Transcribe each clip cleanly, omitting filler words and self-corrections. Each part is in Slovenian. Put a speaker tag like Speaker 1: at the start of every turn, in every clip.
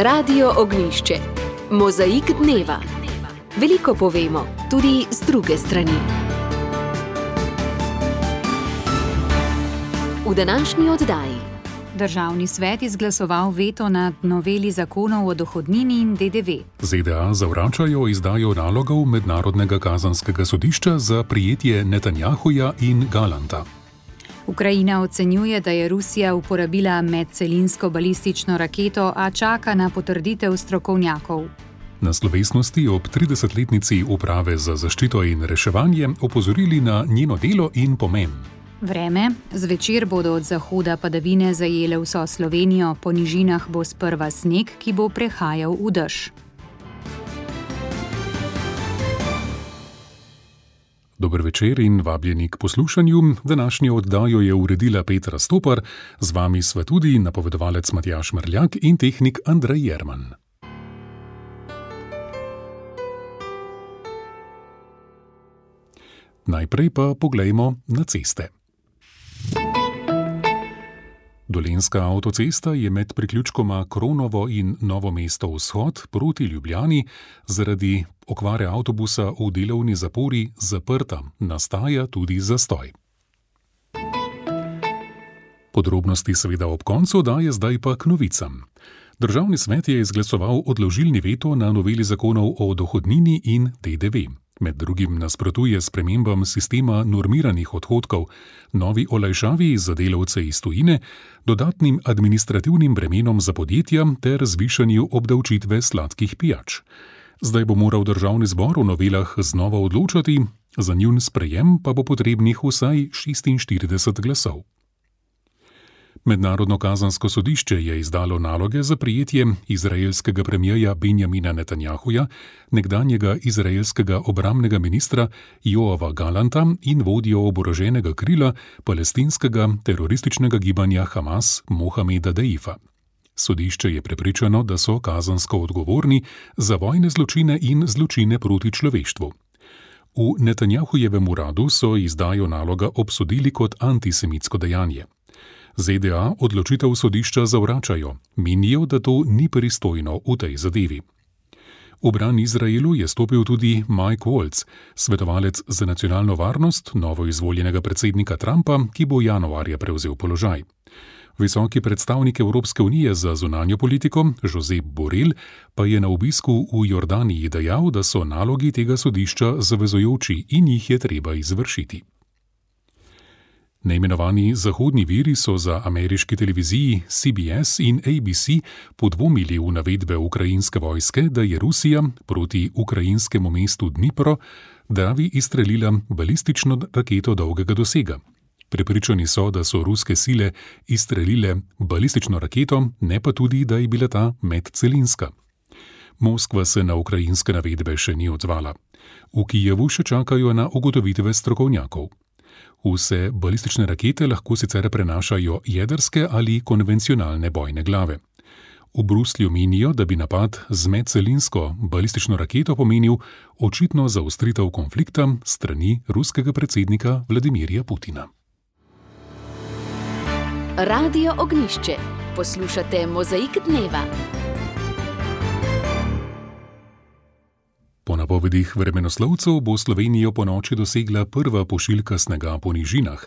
Speaker 1: Radio Ognjišče. Mozaik dneva. Veliko povemo, tudi z druge strani. V današnji oddaji.
Speaker 2: Državni svet izglasoval veto nad noveli zakonov o dohodnini in DDV.
Speaker 3: ZDA zavračajo izdajo nalogov Mednarodnega kazanskega sodišča za prijetje Netanjahuja in Galanta.
Speaker 2: Ukrajina ocenjuje, da je Rusija uporabila medcelinsko balistično raketo, a čaka na potrditev strokovnjakov.
Speaker 3: Na slovesnosti ob 30-letnici Uprave za zaščito in reševanje opozorili na njeno delo in pomen.
Speaker 2: Vreme. Zvečer bodo od zahoda padavine zajele vso Slovenijo, po nižinah bo sprva sneg, ki bo prehajal v dež.
Speaker 3: Dober večer in vabljeni k poslušanju. Današnjo oddajo je uredila Petra Stopar, z vami sva tudi napovedovalec Matjaž Mrljak in tehnik Andrej Jerman. Najprej pa poglejmo na ceste. Dolenjska avtocesta je med priključkoma Kronovo in Novo mesto vzhod proti Ljubljani zaradi okvare avtobusa v delovni zapori zaprta, nastaja tudi zastoj. Podrobnosti seveda ob koncu daje zdaj pa k novicam. Državni svet je izglasoval odložilni veto na noveli zakonov o dohodnini in DDV. Med drugim nasprotuje spremembam sistema normiranih odhodkov, novi olajšavi za delavce iz tujine, dodatnim administrativnim bremenom za podjetja ter zvišanju obdavčitve sladkih pijač. Zdaj bo moral državni zbor v novelah znova odločati, za njun sprejem pa bo potrebnih vsaj 46 glasov. Mednarodno kazansko sodišče je izdalo naloge za prijetje izraelskega premierja Benjamina Netanjahuja, nekdanjega izraelskega obrambnega ministra Joava Galanta in vodjo oboroženega krila palestinskega terorističnega gibanja Hamas Mohameda Deifa. Sodišče je prepričano, da so kazansko odgovorni za vojne zločine in zločine proti človeštvu. V Netanjahujevem uradu so izdajo naloga obsodili kot antisemitsko dejanje. ZDA odločitev sodišča zavračajo, menijo, da to ni pristojno v tej zadevi. V bran Izraelu je stopil tudi Mike Waltz, svetovalec za nacionalno varnost novoizvoljenega predsednika Trumpa, ki bo januarja prevzel položaj. Visoki predstavnik Evropske unije za zunanjo politiko, Josep Borrell, pa je na obisku v Jordaniji dejal, da so nalogi tega sodišča zavezujoči in jih je treba izvršiti. Neimenovani zahodni viri so za ameriški televiziji CBS in ABC podvomili v navedbe ukrajinske vojske, da je Rusija proti ukrajinskemu mestu Dnipro Dravi izstrelila balistično raketo dolgega dosega. Prepričani so, da so ruske sile izstrelile balistično raketo, ne pa tudi, da je bila ta medcelinska. Moskva se na ukrajinske navedbe še ni odzvala. V Kijevu še čakajo na ugotovitve strokovnjakov. Vse balistične rakete lahko sicer prenašajo jedrske ali konvencionalne bojne glave. V Bruslju menijo, da bi napad z medcelinsko balistično raketo pomenil očitno zaostritev konflikta strani ruskega predsednika Vladimirja Putina.
Speaker 1: Radio Ognjišče. Poslušate Mozaik dneva.
Speaker 3: Po napovedih vremenoslovcev bo Slovenijo ponoči dosegla prva pošiljka snega po nižinah.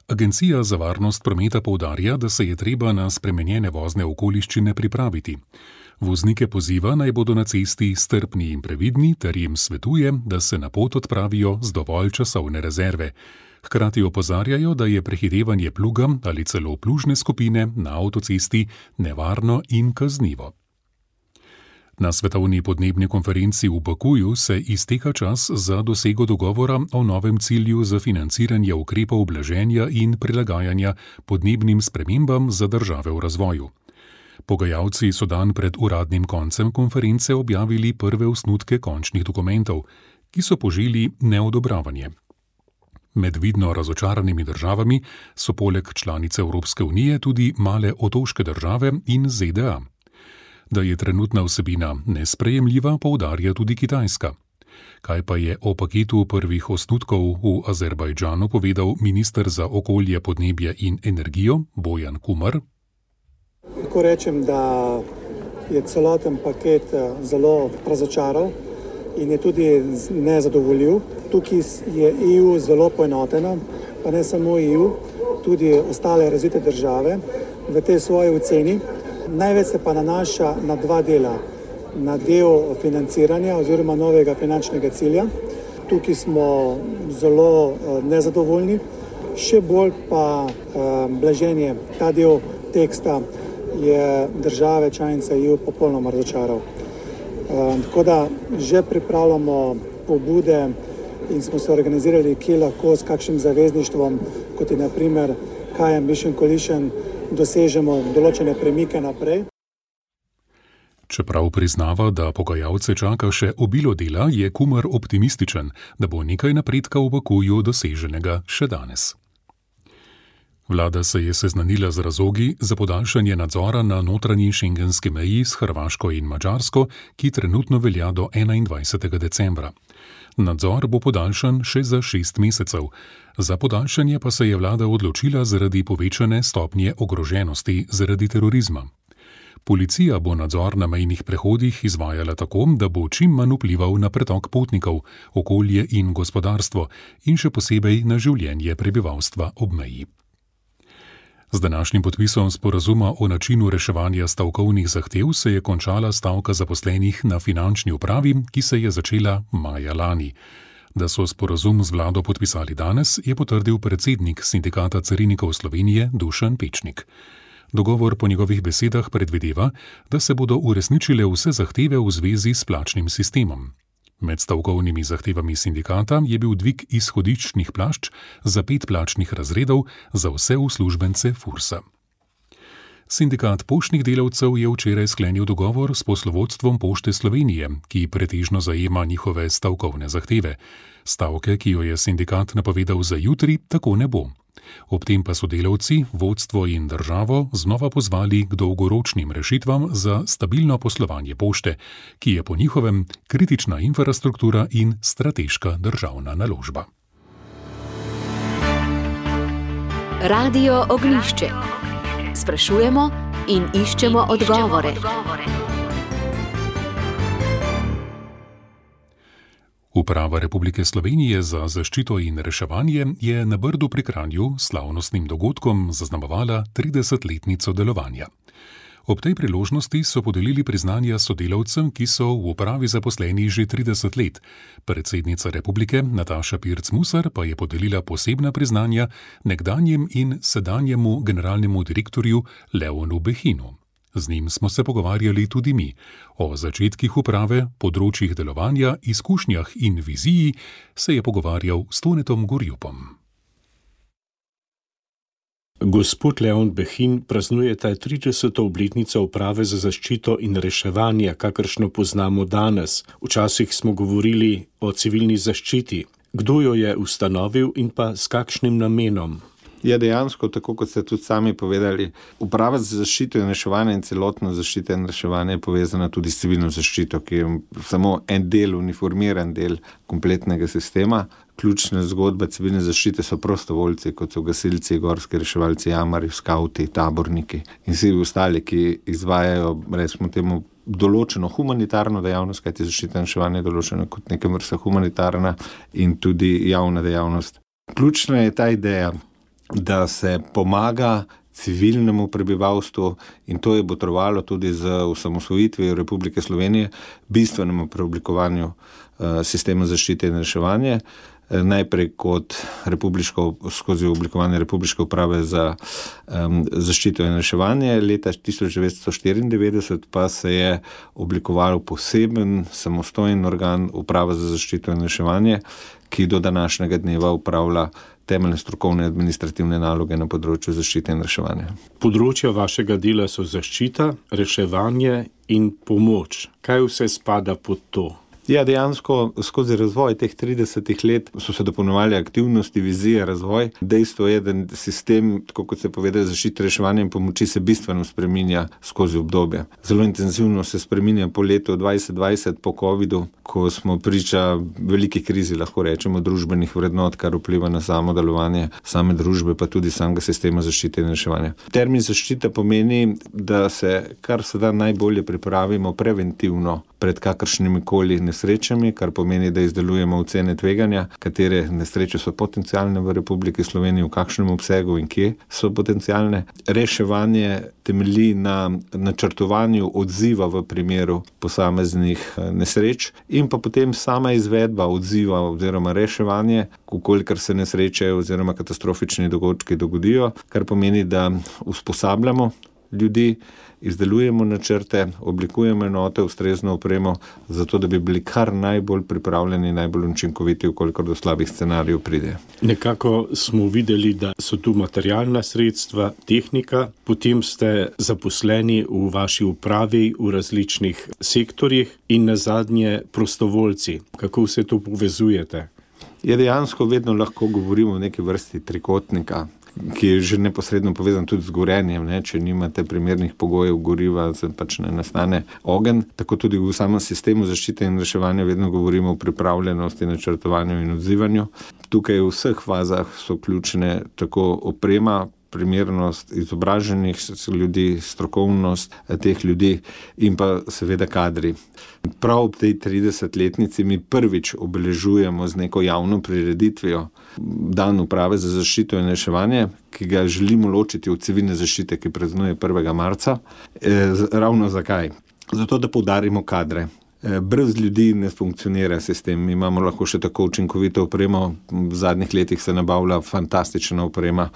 Speaker 3: Agencija za varnost prometa poudarja, da se je treba na spremenjene vozne okoliščine pripraviti. Voznike poziva, naj bodo na cesti strpni in previdni, ter jim svetuje, da se na pot odpravijo z dovolj časovne rezerve. Hkrati opozarjajo, da je prehitevanje pluga ali celo plužne skupine na avtocesti nevarno in kaznivo. Na svetovni podnebni konferenci v Bakuju se izteka čas za dosego dogovora o novem cilju za financiranje ukrepov blaženja in prilagajanja podnebnim spremembam za države v razvoju. Pogajalci so dan pred uradnim koncem konference objavili prve osnutke končnih dokumentov, ki so poželi neodobravanje. Med vidno razočaranimi državami so poleg članice Evropske unije tudi male otoške države in ZDA. Da je trenutna vsebina nesprejemljiva, poudarja tudi Kitajska. Kaj pa je o paketu prvih osnutkov v Azerbajdžanu povedal minister za okolje, podnebje in energijo Bojan Kumar?
Speaker 4: Lahko rečem, da je celoten paket zelo razočaral in je tudi nezadovoljiv. Tukaj je EU zelo poenotena, pa ne samo EU, tudi ostale razvite države v tej svoji oceni. Največ se pa nanaša na dva dela. Na del financiranja oziroma novega finančnega cilja. Tukaj smo zelo nezadovoljni. Še bolj pa blaženje, ta del teksta je države članice EU popolnoma razočaral. Tako da že pripravljamo pobude in smo se organizirali, kje lahko s kakšnim zavezništvom, kot je na primer High Ambition Coalition, dosežemo določene premike naprej.
Speaker 3: Čeprav priznava, da pogajalce čaka še obilo dela, je Kumar optimističen, da bo nekaj napredka v Bakuju doseženega še danes. Vlada se je seznanila z razlogi za podaljšanje nadzora na notranji šengenski meji s Hrvaško in Madžarsko, ki trenutno velja do 21. decembra. Nadzor bo podaljšan še za 6 mesecev. Za podaljšanje pa se je vlada odločila zaradi povečane stopnje ogroženosti zaradi terorizma. Policija bo nadzor na mejnih prehodih izvajala tako, da bo čim manj vplival na pretok potnikov, okolje in gospodarstvo in še posebej na življenje prebivalstva ob meji. Z današnjim podpisom sporazuma o načinu reševanja stavkovnih zahtev se je končala stavka zaposlenih na finančni upravi, ki se je začela maja lani. Da so sporazum z vlado podpisali danes, je potrdil predsednik Sindikata carinikov Slovenije Dušan Pečnik. Dogovor po njegovih besedah predvideva, da se bodo uresničile vse zahteve v zvezi s plačnim sistemom. Med stavkovnimi zahtevami sindikata je bil dvig izhodiščnih plašč za 5 plačnih razredov za vse uslužbence Fursa. Sindikat poštnih delavcev je včeraj sklenil dogovor s poslovodstvom Pošte Slovenije, ki pretežno zajema njihove stavkovne zahteve. Stavke, ki jo je sindikat napovedal za jutri, tako ne bo. Ob tem pa so delavci, vodstvo in državo znova pozvali k dolgoročnim rešitvam za stabilno poslovanje pošte, ki je po njihovem kritična infrastruktura in strateška državna naložba.
Speaker 1: Radio Ognjišče. Sprašujemo in iščemo odgovore.
Speaker 3: Uprava Republike Slovenije za zaščito in reševanje je na Brdu pri Kranju slavnostnim dogodkom zaznamovala 30-letnico delovanja. Ob tej priložnosti so podelili priznanja sodelavcem, ki so v upravi zaposleni že 30 let. Predsednica Republike Nataša Pirc-Musar pa je podelila posebna priznanja nekdanjem in sedanjemu generalnemu direktorju Leonu Behinu. Z njim smo se pogovarjali tudi mi. O začetkih uprave, področjih delovanja, izkušnjah in viziji se je pogovarjal s Tonetom Gorjupom.
Speaker 5: Gospod Leon Behin praznuje 30. obletnico uprave za zaščito in reševanje, kakršno poznamo danes. Včasih smo govorili o civilni zaščiti. Kdo jo je ustanovil in pa s kakšnim namenom?
Speaker 6: Je dejansko, tako kot ste tudi sami povedali, uprava za zaščito in reševanje in celotno zaščito in reševanje je povezana tudi s civilno zaščito, ki je samo en del, uniformiran del kompletnega sistema. Ključne zgodbe civilne zaščite so prostovoljci, kot so gasilci, gorski reševalci, jamari, skauti, taborniki in vsi ostali, ki izvajajo, recimo temu, določeno humanitarno dejavnost, kajti zaščita in reševanje je določeno kot neka vrsta humanitarna in tudi javna dejavnost. Ključna je ta ideja, da se pomaga civilnemu prebivalstvu in to je botrovalo tudi z osamosvojitvijo Republike Slovenije bistvenemu preoblikovanju sistema zaščite in reševanje. Najprej kot skozi oblikovanje Republiške uprave za zaščito in reševanje, leta 1994 pa se je oblikoval poseben samostojen organ Uprava za zaščito in reševanje, ki do današnjega dneva upravlja temeljne strokovne administrativne naloge na področju zaščite in reševanja.
Speaker 5: Področja vašega dela so zaščita, reševanje in pomoč. Kaj vse spada pod to?
Speaker 6: Ja, dejansko skozi razvoj teh 30 let so se dopolnjevali aktivnosti, vizije, razvoj. Dejstvo je, da sistem, tako kot se povedali, zaščite, reševanja in pomoči se bistveno spreminja skozi obdobje. Zelo intenzivno se spreminja po letu 2020, po covidu, ko smo priča veliki krizi, lahko rečemo, družbenih vrednot, kar vpliva na samo delovanje same družbe, pa tudi samega sistema zaščite in reševanja. Termin zaščita pomeni, da se kar se da najbolje pripravimo preventivno pred kakršnimi koli nesrečami, kar pomeni, da izdelujemo ocene tveganja, katere nesreče so potencialne v Republiki Sloveniji, v kakšnem obsegu in kje so potencialne. Reševanje temelji na načrtovanju odziva v primeru posameznih nesreč in pa potem sama izvedba odziva oziroma reševanje, kolikor se nesreče oziroma katastrofični dogodki dogodijo, kar pomeni, da usposabljamo ljudi, izdelujemo načrte, oblikujemo enote, ustrezno opremo, zato da bi bili kar najbolj pripravljeni, najbolj učinkoviti, kolikor do slabih scenarijev pride.
Speaker 5: Nekako smo videli, da so tu materialna sredstva, tehnika, potem ste zaposleni v vaši upravi v različnih sektorjih in nazadnje prostovoljci. Kako vse to povezujete?
Speaker 6: Je dejansko vedno lahko govorimo o neki vrsti trikotnika, ki je že neposredno povezan tudi z gorenjem. Če nimate primernih pogojev goriva, pač ne nastane ogenj. Tako tudi v samem sistemu zaščite in reševanja vedno govorimo o pripravljenosti, načrtovanju in odzivanju. Tukaj v vseh fazah so ključne tako oprema, primernost izobraženih ljudi, strokovnost teh ljudi in pa seveda kadri. Prav v tej 30-letnici mi prvič obeležujemo z neko javno prireditvijo Dan uprave za zaščito in reševanje, ki ga želimo ločiti od civilne zaščite, ki praznuje 1. marca. Ravno zakaj? Zato, da poudarimo kadre. Brez ljudi ne funkcionira sistem. Mi imamo lahko še tako učinkovito opremo. V zadnjih letih se nabavlja fantastična oprema,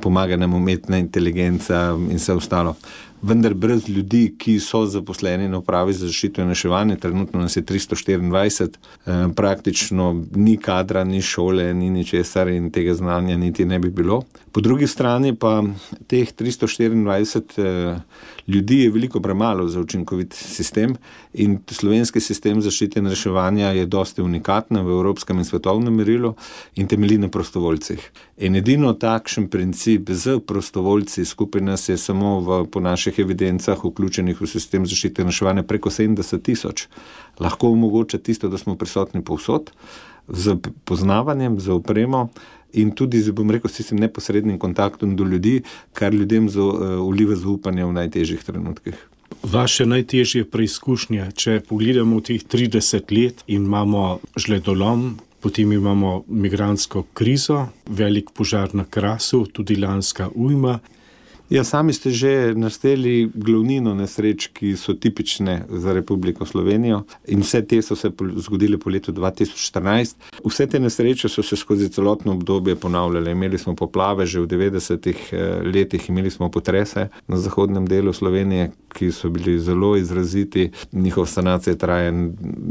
Speaker 6: pomaga nam umetna inteligenca in vse ostalo. Vendar brez ljudi, ki so zaposleni na upravi za zaščito in reševanje, trenutno nas je 324, praktično ni kadra, ni šole, ni ničesar in tega znanja niti ne bi bilo. Po drugi strani pa teh 324 ljudi je veliko premalo za učinkovit sistem in slovenski sistem zaščite in reševanja je dosti unikatna v evropskem in svetovnem merilu in temelji na prostovoljcih. In edino takšen princip z prostovoljci, skupaj nas je samo po naših evidencah vključenih v sistem zaščite in reševanja preko 70,000, lahko omogoča tisto, da smo prisotni povsod, z poznavanjem, z opremo in tudi z, s tistim neposrednim kontaktom do ljudi, kar ljudem vliva zaupanje v najtežjih trenutkih.
Speaker 5: Vaše najtežje preizkušnje, če pogledamo teh 30 let in imamo žledolom, potem imamo migrantsko krizo, velik požar na Krasu, tudi lanska ujma.
Speaker 6: Ja, sami ste že našteli glavnino nesreč, ki so tipične za Republiko Slovenijo in vse te so se zgodile po letu 2014. Vse te nesreče so se skozi celotno obdobje ponavljale. Imeli smo poplave že v 90-ih letih, imeli smo potrese na zahodnem delu Slovenije, ki so bili zelo izraziti, njihova sanacija traja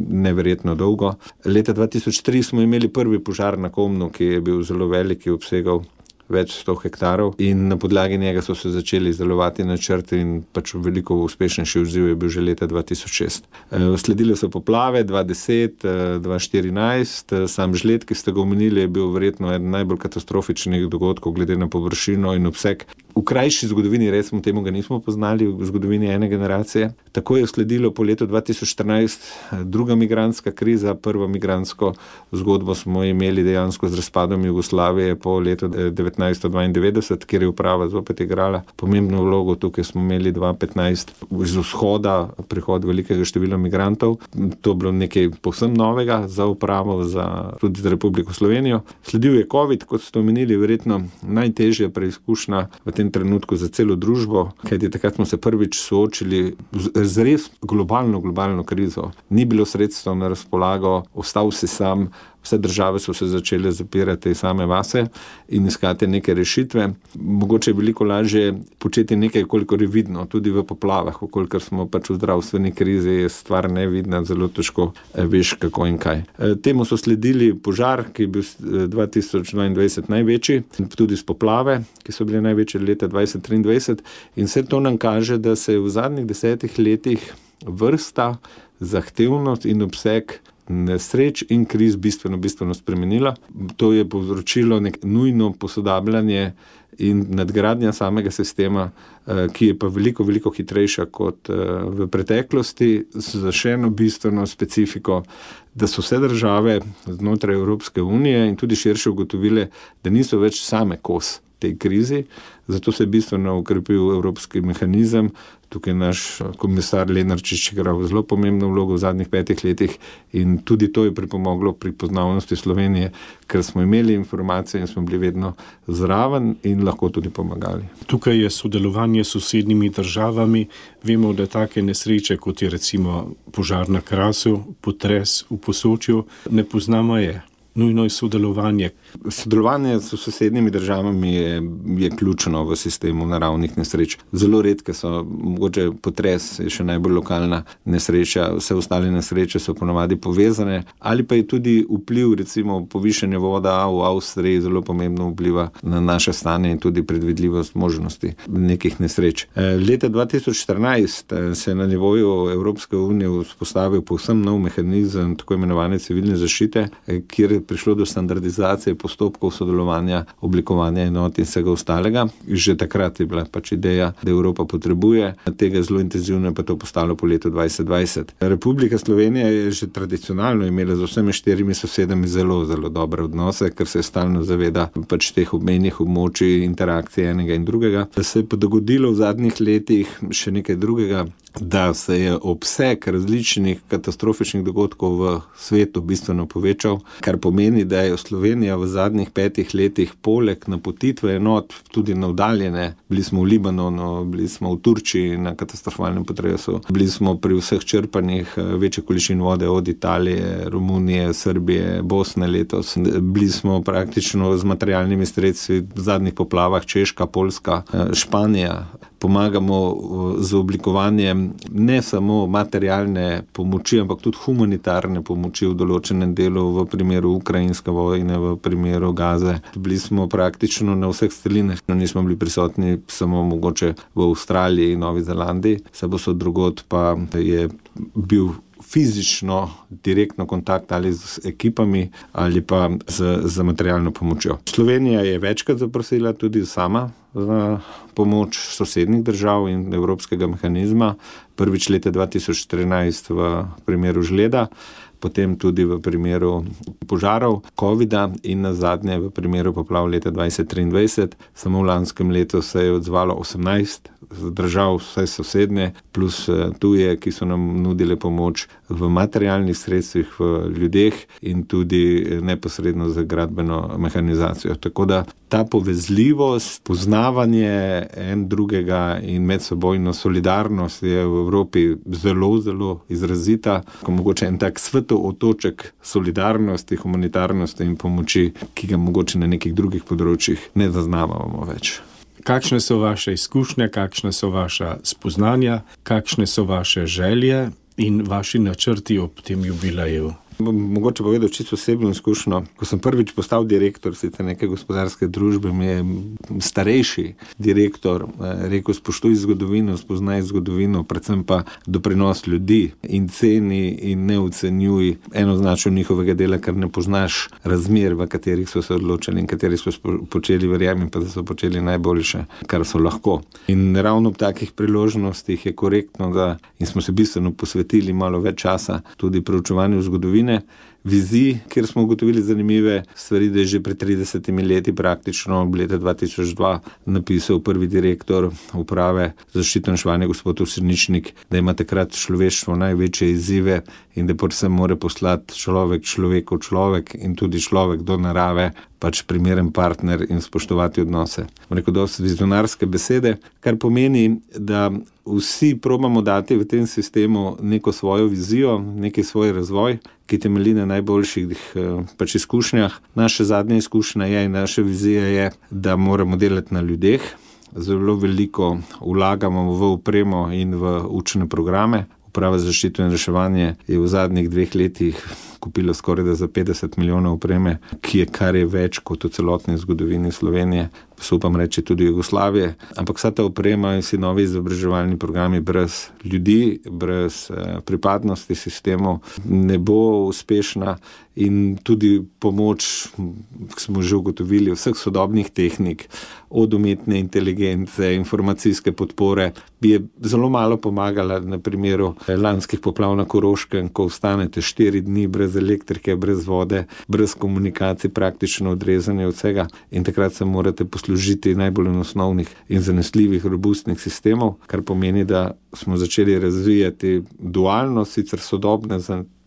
Speaker 6: neverjetno dolgo. Leta 2003 smo imeli prvi požar na Komnu, ki je bil zelo velik, obsegal več 100 hektarov in na podlagi njega so se začeli izdelovati načrti in pač veliko uspešnejši odziv je bil že leta 2006. Sledile so poplave 2010, 2014, sam žled, ki ste ga omenili, je bil verjetno eden najbolj katastrofičnih dogodkov glede na površino in obseg. V krajši zgodovini, recimo temu, ga nismo poznali v zgodovini ene generacije. Tako je sledilo po letu 2014 druga migrantska kriza, prvo migrantsko zgodbo smo imeli dejansko z razpadom Jugoslavije po letu 1992, kjer je uprava zopet igrala pomembno vlogo. Tukaj smo imeli 2015 iz vzhoda prihod velikega števila migrantov. To je bilo nekaj povsem novega za upravo, tudi za Republiko Slovenijo. Sledil je COVID, kot ste omenili, verjetno najtežja preizkušnja v tem trenutku za celo družbo, kajti takrat smo se prvič soočili z res globalno krizo. Ni bilo sredstev na razpolago, ostal si sam, vse države so se začele zapirati same vase in iskati neke rešitve. Mogoče je veliko lažje početi nekaj, kolikor je vidno, tudi v poplavah, kolikor smo pač v zdravstveni krizi, je stvar nevidna, zelo težko veš kako in kaj. Temu so sledili požar, ki je bil 2022 največji, tudi s poplave, ki so bile največje leta 2023 in vse to nam kaže, da se v zadnjih 10 letih vrsta, zahtevnost in obseg nesreč in kriz bistveno spremenila. To je povzročilo nujno posodabljanje in nadgradnja samega sistema, ki je pa veliko hitrejša kot v preteklosti, z še eno bistveno specifiko, da so vse države znotraj Evropske unije in tudi širše ugotovile, da niso več same kos tej krizi, zato se je bistveno ukrepil evropski mehanizem. Tukaj naš komisar Lenarčič igral zelo pomembno vlogo v zadnjih 5 letih in tudi to je pripomoglo pri poznavnosti Slovenije, ker smo imeli informacije in smo bili vedno zraven in lahko tudi pomagali.
Speaker 5: Tukaj je sodelovanje s sosednjimi državami. Vemo, da take nesreče, kot je recimo požar na Krasu, potres v Posočju, ne poznamo je. Nujno je sodelovanje.
Speaker 6: Sodelovanje s sosednjimi državami je ključno v sistemu naravnih nesreč. Zelo redke so, mogoče potres je še najbolj lokalna nesreča, vse ostale nesreče so ponavadi povezane, ali pa je tudi vpliv, recimo povišanje voda v Avstriji zelo pomembno vpliva na naše stanje in tudi predvidljivost možnosti nekih nesreč. Leta 2014 se je na nivoju Evropske unije vzpostavil povsem nov mehanizem tako imenovane civilne zaščite, kjer prišlo do standardizacije postopkov sodelovanja, oblikovanja enot in vsega ostalega. Že takrat je bila ideja, da Evropa potrebuje tega zelo intenzivno, pa to postalo po letu 2020. Republika Slovenija je že tradicionalno imela z vsemi 4 sosedami zelo dobre odnose, ker se stalno zaveda teh obmejnih območij, interakcije enega in drugega. Da se je pa dogodilo v zadnjih letih še nekaj drugega, da se je obseg različnih katastrofičnih dogodkov v svetu bistveno povečal, kar pomeni, da je Slovenija v zadnjih 5 letih poleg napotitve enot tudi navdaljene. Bili smo v Libanonu, bili smo v Turčiji na katastrofalnem potresu, bili smo pri vseh črpanjih večje količin vode od Italije, Romunije, Srbije, Bosne letos. Bili smo praktično z materialnimi sredstvi v zadnjih poplavah Češka, Poljska, Španija. Pomagamo z oblikovanjem ne samo materialne pomoči, ampak tudi humanitarne pomoči v določenem delu, v primeru ukrajinske vojne, v primeru Gaze. Bili smo praktično na vseh celinah, nismo bili prisotni samo mogoče v Avstraliji in Novi Zelandiji, vse drugod pa je bil fizično, direktno kontakt ali z ekipami ali pa z materialno pomočjo. Slovenija je večkrat zaprosila tudi sama za pomoč sosednjih držav in evropskega mehanizma. Prvič leta 2014 v primeru žleda, potem tudi v primeru požarov, covida in nazadnje v primeru poplav leta 2023. Samo v lanskem letu se je odzvalo 18 držav, vse sosednje, plus tuje, ki so nam nudile pomoč v materialnih sredstvih, v ljudeh in tudi neposredno za gradbeno mehanizacijo. Tako da ta povezljivost, poznavanje en drugega in medsebojno solidarnost je v Evropi zelo izrazita. Mogoče en tak svetov otoček solidarnosti, humanitarnosti in pomoči, ki ga mogoče na nekih drugih področjih ne zaznavamo več.
Speaker 5: Kakšne so vaše izkušnje, kakšne so vaša spoznanja, kakšne so vaše želje in vaši načrti ob tem jubileju?
Speaker 6: Mogoče povedal čisto osebno izkušnjo. Ko sem prvič postal direktor sicer neke gospodarske družbe, mi je starejši direktor rekel: spoštuj zgodovino, spoznaj zgodovino, predvsem pa doprinos ljudi in ceni in ne ocenjuj enoznačno njihovega dela, ker ne poznaš razmer, v katerih so se odločili in katerih so počeli, verjamem pa, da so počeli najboljše, kar so lahko. In ravno ob takih priložnostih je korektno, da in smo se bistveno posvetili malo več časa tudi proučevanju zgodovine, vizij, kjer smo ugotovili zanimive stvari, da je že pred 30 leti praktično leta 2002 napisal prvi direktor uprave za zaščito in reševanje gospod Srničnik, da ima takrat človeštvo največje izzive in da predvsem mora poslati človek in tudi človek do narave, primeren partner in spoštovati odnose. Rekel, dosti vizionarske besede, kar pomeni, da vsi probamo dati v tem sistemu neko svojo vizijo, neki svoj razvoj, ki temelji na najboljših izkušnjah. Naša zadnja izkušnja je in naša vizija je, da moramo delati na ljudeh. Zelo veliko vlagamo v opremo in v učne programe. Uprava za zaščito in reševanje je v zadnjih 2 letih kupilo skoraj za 50 milijonov opreme, kar je več kot v celotni zgodovini Slovenije, se upam reči tudi Jugoslavije. Ampak vsa ta oprema in vsi novi izobraževalni programi brez ljudi, brez pripadnosti sistemov ne bo uspešna in tudi pomoč, smo že ugotovili, vseh sodobnih tehnik, od umetne inteligence, informacijske podpore, bi je zelo malo pomagala na primeru lanskih poplav na Koroškem, ko ostanete 4 dni brez elektrike, brez vode, brez komunikacij, praktično odrezanje od vsega in takrat se morate poslužiti najbolj osnovnih in zanesljivih, robustnih sistemov, kar pomeni, da smo začeli razvijati dualno, sicer sodobne,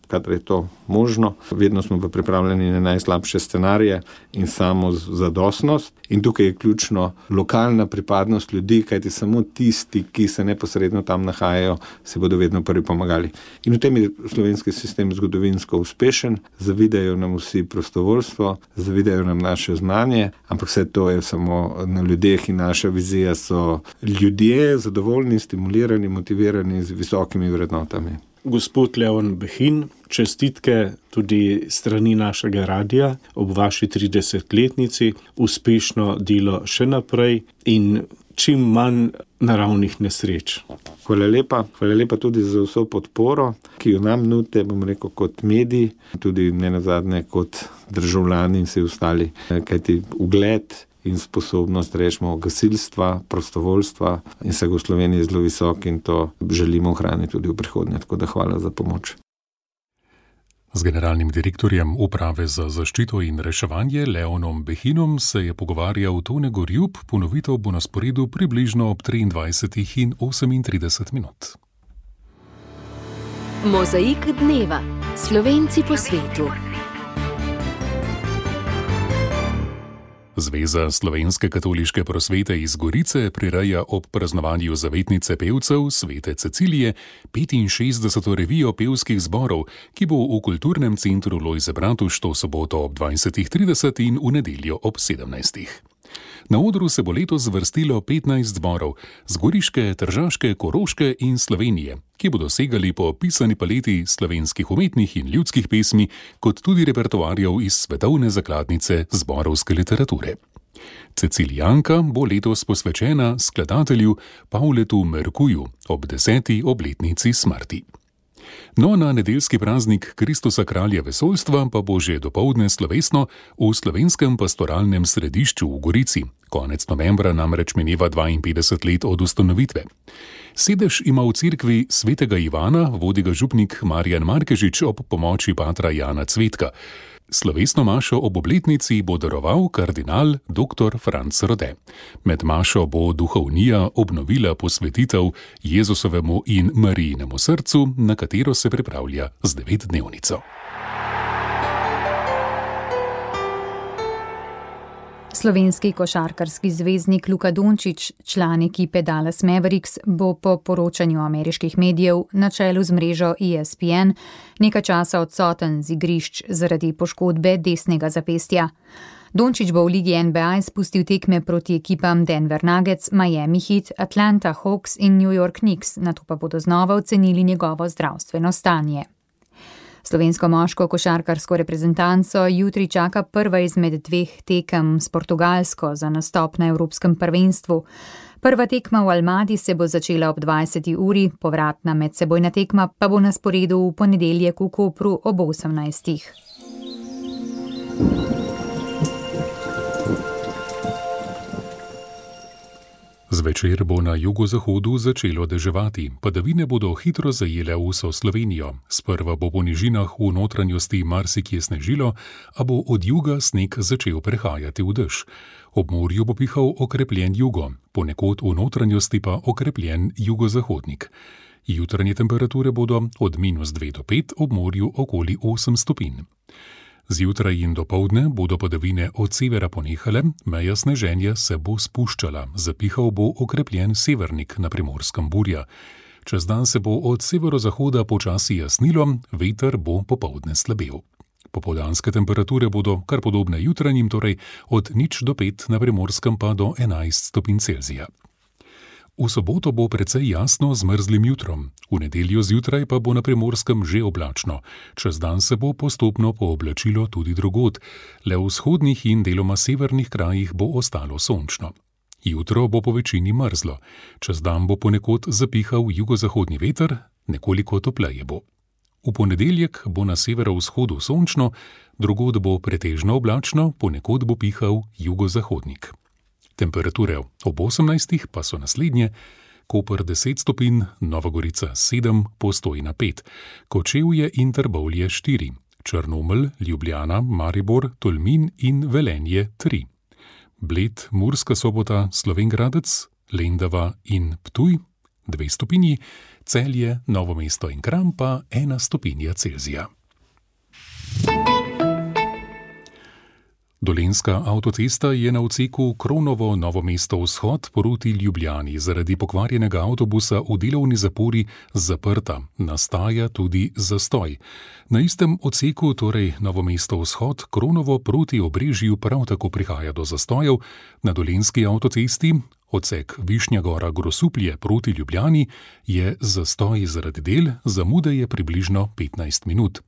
Speaker 6: kadar je to možno. Vedno smo pa pripravljeni na najslabše scenarije in samo zadostnost. In tukaj je ključno lokalna pripadnost ljudi, kajti samo tisti, ki se neposredno tam nahajajo, se bodo vedno prvi pomagali. In v tem je slovenski sistem zgodovinsko uspešen, zavidajo nam vsi prostovoljstvo, zavidajo nam naše znanje, ampak vse to je samo na ljudeh in naša vizija so ljudje zadovoljni, stimulirani, motivirani z visokimi vrednotami.
Speaker 5: Gospod Leon Behin, čestitke tudi strani našega radia ob vaši 30-letnici, uspešno delo še naprej in čim manj naravnih nesreč.
Speaker 6: Hvala lepa tudi za vso podporo, ki jo nam nudite, bom rekel, kot mediji, tudi nenazadnje kot državljani in vsi ostali, kajti ugled in sposobnost, rečemo, gasilstva, prostovoljstva in vsega v Sloveniji je zelo visok in to želimo ohraniti tudi v prihodnje, tako da hvala za pomoč.
Speaker 3: Z generalnim direktorjem Uprave za zaščito in reševanje Leonom Behinom se je pogovarjal Tone Gorjup, ponovitev bo na sporedu približno ob 23:38 minut.
Speaker 1: Mozaik dneva. Slovenci po svetu.
Speaker 3: Zveza slovenske katoliške prosvete iz Gorice prireja ob praznovanju zavetnice pevcev Svete Cecilije 65. revijo pevskih zborov, ki bo v kulturnem centru Lojze Bratuš to soboto ob 20:30 in v nedeljo ob 17. Na odru se bo letos zvrstilo 15 zborov z Goriške, Tržaške, Koroške in Slovenije, ki bodo segali po pisani paleti slovenskih umetnih in ljudskih pesmi, kot tudi repertoarjev iz svetovne zakladnice zborovske literature. Cecilijanka bo letos posvečena skladatelju Pavletu Merkuju ob 10. obletnici smrti. No, na nedeljski praznik Kristusa kralja vesoljstva pa bo že dopoldne slovesno v Slovenskem pastoralnem središču v Gorici. Konec novembra namreč mineva 52 let od ustanovitve. Sedež ima v cerkvi svetega Ivana, vodi ga župnik Marjan Markežič ob pomoči patra Jana Cvetka. Slovesno mašo ob obletnici bo daroval kardinal dr. Franc Rode. Med mašo bo duhovnija obnovila posvetitev Jezusovemu in Marijinemu srcu, na katero se pripravlja z 9-dnevnico.
Speaker 2: Slovenski košarkarski zvezdnik Luka Dončić, član ekipe Dallas Mavericks, bo po poročanju ameriških medijev na čelu z mrežo ESPN nekaj časa odsoten z igrišč zaradi poškodbe desnega zapestja. Dončić bo v ligi NBA izpustil tekme proti ekipam Denver Nuggets, Miami Heat, Atlanta Hawks in New York Knicks, nato pa bodo znova ocenili njegovo zdravstveno stanje. Slovensko moško košarkarsko reprezentanco jutri čaka prva izmed 2 tekem s Portugalsko za nastop na Evropskem prvenstvu. Prva tekma v Almadi se bo začela ob 20. uri, povratna medsebojna tekma pa bo na sporedu v ponedeljek v Kopru ob 18.
Speaker 3: Zvečer bo na jugozahodu začelo deževati, padavine bodo hitro zajele vso Slovenijo. Sprva bo po nižinah v notranjosti marsikje snežilo, a bo od juga sneg začel prehajati v dež. Ob morju bo pihal okrepljen jugo, ponekod v notranjosti pa okrepljen jugozahodnik. Jutranje temperature bodo od -2 do 5, ob morju okoli 8 stopinj. Zjutraj in dopoldne bodo padavine od severa ponehale, meja sneženja se bo spuščala, zapihal bo okrepljen severnik, na Primorskem burja. Čez dan se bo od severozahoda počasi jasnilo, veter bo popoldne slabel. Popoldanske temperature bodo kar podobne jutranjim, torej od 0 do 5, na Primorskem pa do 11 stopinj Celzija. V soboto bo precej jasno z mrzlim jutrom, v nedeljo zjutraj pa bo na Primorskem že oblačno. Čez dan se bo postopno pooblačilo tudi drugod, le v vzhodnih in deloma severnih krajih bo ostalo sončno. Jutro bo po večini mrzlo, čez dan bo ponekod zapihal jugozahodni veter, nekoliko topleje bo. V ponedeljek bo na severovzhodu sončno, drugod bo pretežno oblačno, ponekod bo pihal jugozahodnik. Temperature ob 18 pa so naslednje: Koper 10 stopinj, Nova Gorica 7, Postojna 5, Kočevje in Trbovlje 4, Črnomelj, Ljubljana, Maribor, Tolmin in Velenje 3, Bled, Murska Sobota, Slovenj Gradec, Lendava in Ptuj 2 stopinji, Celje, Novo mesto in Kranj pa 1 stopinja Celzija. Dolenjska avtocesta je na odseku Kronovo Novo mesto vzhod proti Ljubljani zaradi pokvarjenega avtobusa v delovni zapori zaprta, nastaja tudi zastoj. Na istem odseku, torej Novo mesto vzhod, Kronovo proti Obrežju prav tako prihaja do zastojev. Na Dolenjski avtocesti, odsek Višnja Gora Grosuplje proti Ljubljani, je zastoj zaradi del, zamude je približno 15 minut.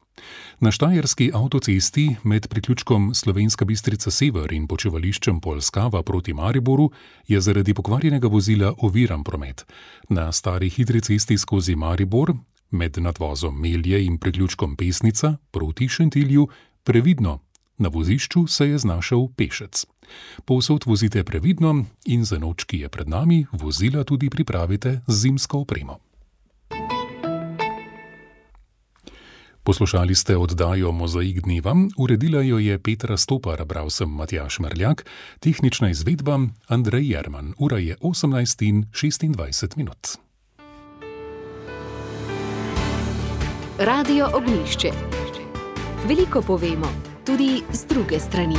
Speaker 3: Na Štajerski avtocesti med priključkom Slovenska Bistrica Sever in počivališčem Polskava proti Mariboru je zaradi pokvarjenega vozila oviran promet. Na stari hitri cesti skozi Maribor med nadvozom Melje in priključkom Pesnica proti Šentilju previdno. Na vozišču se je znašel pešec. Povsod vozite previdno in za noč, ki je pred nami, vozila tudi pripravite z zimsko opremo. Poslušali ste oddajo Mozaik dneva, uredila jo je Petra Stopar, bral sem Matjaž Merljak, tehnična izvedba Andrej Jerman. Ura je 18:26.
Speaker 1: Radio Ognjišče. Veliko povemo, tudi z druge strani.